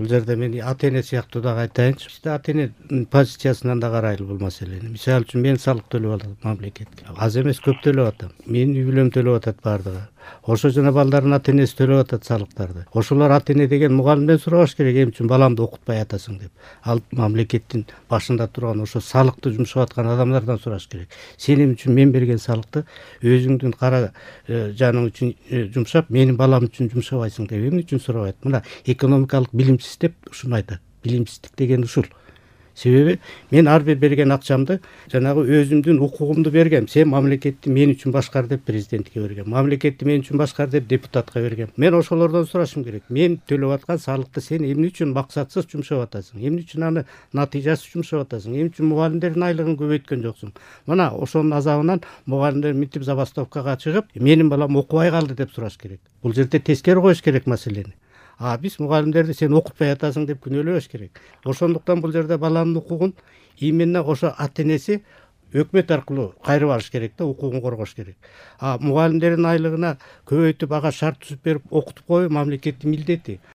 Бул жерде мен ата эне сыяктуу дагы айтайынчы. Бизде ата эне позициясынан да карайлы бул маселени. Мисалы үчүн мен салык төлөп атам мамлекетке. Аз эмес, көп төлөп атам. Менин үй бүлөм төлөп атат бардыгы. Ошо жана балдардын ата энеси төлөп атат салыктарды. Ошолор ата эне деген мугалимден сурабаш керек, эмне үчүн баламды окутпай атасың деп. Ал мамлекеттин башында турган ошо салыкты жумшап аткан адамдардан сураш керек. Сен эмне үчүн мен берген салыкты өзүңдүн кара жаның үчүн жумшап, менин балам үчүн жумшабайсың деп эмне үчүн сурабайт? Мына экономикалык билимсиз деп ушуну айтат. Билимсиздик деген ушул. Себеби мен ар бир берген акчамды жанагы өзүмдүн укугумду бергем. Сен мамлекетти мен үчүн башкар деп президентке бергем. Мамлекетти мен үчүн башкар деп депутатка бергем. Мен ошолордон сурашым керек. Мен төлөп аткан салыкты сен эмне үчүн максатсыз жумшап атасың? Эмне үчүн аны натыйжасыз жумшап атасың? Эмне үчүн мугалимдердин айлыгын көбөйткөн жоксуң? Мына ошонун азабынан мугалимдер мынтип забастовкага чыгып, менин балам окубай калды деп сураш керек. Бул жерде тескери коюш керек маселени. Биз мугалимдерди сен окутпай атасың деп күнөөлөбөш керек. Ошондуктан бул жерде баланын укугун именно ошо ата энеси өкмөт аркылуу кайрып алыш керек да, укугун коргош керек. Мугалимдердин айлыгына көбөйтүп ага шарт түзүп берип окутуп коюу мамлекеттин милдети.